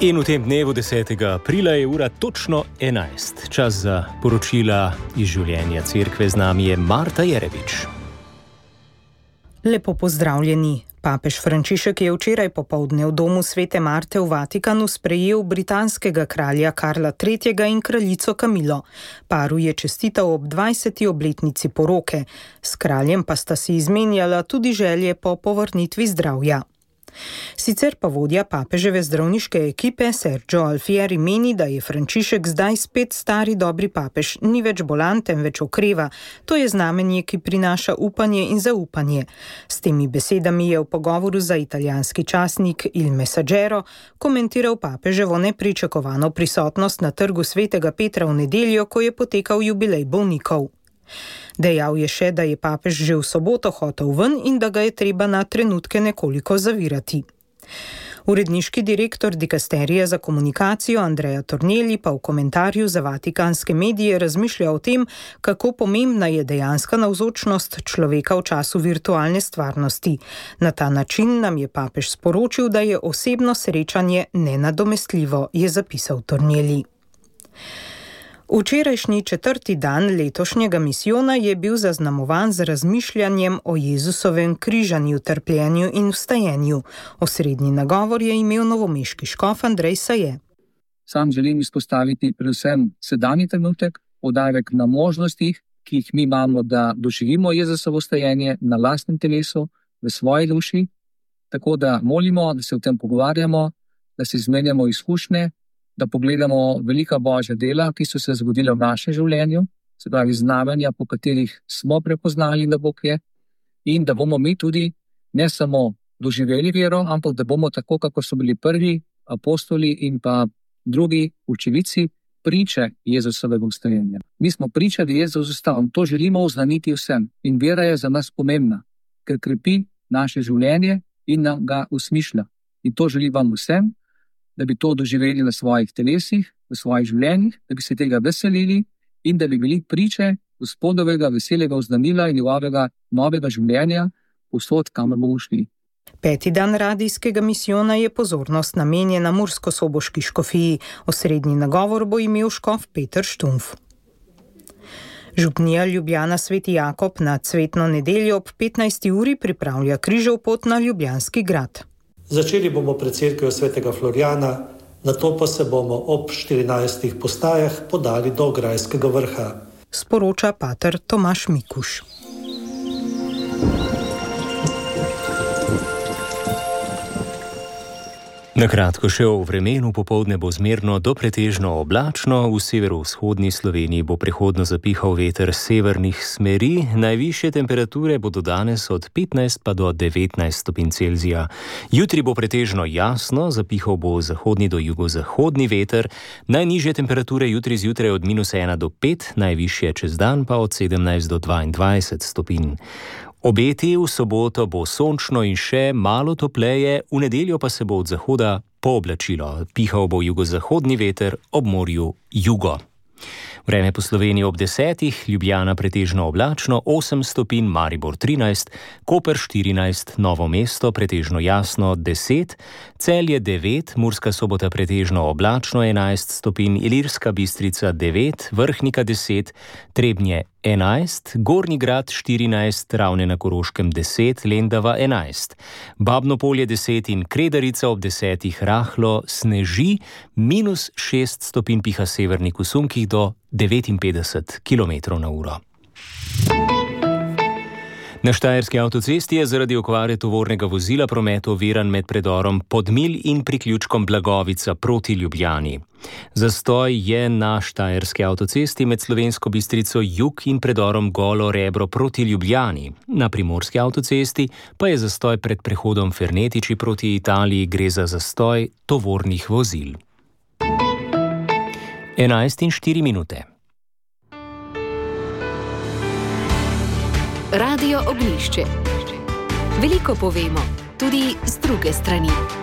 In v tem dnevu 10. aprila je ura točno 11. Čas za poročila iz življenja cerkve. Z nami je Marta Jerebič. Lepo pozdravljeni. Papež Frančišek je včeraj popoldne v domu Svete Marte v Vatikanu sprejel britanskega kralja Karla III. In kraljico Kamilo. Paru je čestital ob 20. obletnici poroke. S kraljem pa sta si izmenjala tudi želje po povrnitvi zdravja. Sicer pa vodja papeževe zdravniške ekipe Sergio Alfieri meni, da je Frančišek zdaj spet stari dobri papež, ni več bolan, temveč okreva. To je znamenje, ki prinaša upanje in zaupanje. S temi besedami je v pogovoru za italijanski časnik Il Messaggero komentiral papeževo nepričakovano prisotnost na trgu Svetega Petra v nedeljo, ko je potekal jubilej bolnikov. Dejal je še, da je papež že v soboto hotel ven in da ga je treba na trenutke nekoliko zavirati. Uredniški direktor dikasterija za komunikacijo Andrea Tornelli pa v komentarju za vatikanske medije razmišlja o tem, kako pomembna je dejanska navzočnost človeka v času virtualne stvarnosti. Na ta način nam je papež sporočil, da je osebno srečanje nenadomestljivo, je zapisal Tornelli. Včerajšnji 4. dan letošnjega misijona je bil zaznamovan z razmišljanjem o Jezusovem križanju, trpljenju in vstajenju. Osrednji nagovor je imel novomeški škof Andrej Saje. Sam želim izpostaviti predvsem sedanji trenutek, poudarek na možnostih, ki jih mi imamo, da doživimo Jezusovo vstajenje na lastnem telesu, v svoji duši, tako da molimo, da se o tem pogovarjamo, da se izmenjamo izkušnje, da pogledamo velika Božja dela, ki so se zgodila v našem življenju, se pravi znamenja, po katerih smo prepoznali, da Bog je, in da bomo mi tudi ne samo doživeli vero, ampak da bomo tako, kako so bili prvi apostoli in pa drugi učenici, priče Jezusovega vstajenja. Mi smo priča, da je Jezus vstal. To želimo oznaniti vsem. In vera je za nas pomembna, ker krepi naše življenje in nam ga usmišlja. In to želim vam vsem, da bi to doživeli na svojih telesih, v svojih življenjih, da bi se tega veselili in da bi bili priče Gospodovega veselega oznanila in njegovega novega življenja povsod, kamor bomo šli. 5. dan radijskega misijona je pozornost namenjena murskosoboški škofiji. Osrednji nagovor bo imel škof Peter Štumf. Župnija Ljubljana Sveti Jakob na cvetno nedeljo ob 15. uri pripravlja križev pot na Ljubljanski grad. Začeli bomo pred cerkvijo Svetega Florijana, nato pa se bomo ob 14 postajah podali do Grajskega vrha. Sporoča pater Tomaž Mikuš. Na kratko še o vremenu. Popoldne bo zmerno do pretežno oblačno, v severovzhodni Sloveniji bo prehodno zapihal veter severnih smeri, najvišje temperature bodo danes od 15 pa do 19 stopinj Celzija. Jutri bo pretežno jasno, zapihal bo zahodni do jugozahodni veter, najnižje temperature jutri zjutraj od -1 do 5, najvišje čez dan pa od 17 do 22 stopinj. Obeti v soboto bo sončno in še malo topleje, v nedeljo pa se bo od zahoda pooblačilo. Pihal bo jugozahodni veter, ob morju jugo. Vreme po Sloveniji ob 10, Ljubljana pretežno oblačno, 8 stopinj, Maribor 13, Koper 14, Novo mesto pretežno jasno 10, Celje 9, Murska Sobota pretežno oblačno 11 stopinj, Ilirska Bistrica 9, Vrhnika 10, Trebnje 11, Gornji Grad 14, Ravne na Koroškem 10, Lendava 11, Babno Polje 10 in Kredarica ob 10 rahlo sneži, -6 stopinj piha severnik v sunkih do 59 km/h. Na Štajerski avtocesti je zaradi okvare tovornega vozila promet oviran med predorom Podmilj in priključkom Blagovica proti Ljubljani. Zastoj je na Štajerski avtocesti med Slovensko Bistrico jug in predorom Golo Rebro proti Ljubljani. Na Primorski avtocesti pa je zastoj pred prehodom Fernetiči proti Italiji, gre za zastoj tovornih vozil. 11:04. Radio Ognjišče. Veliko povemo, tudi z druge strani.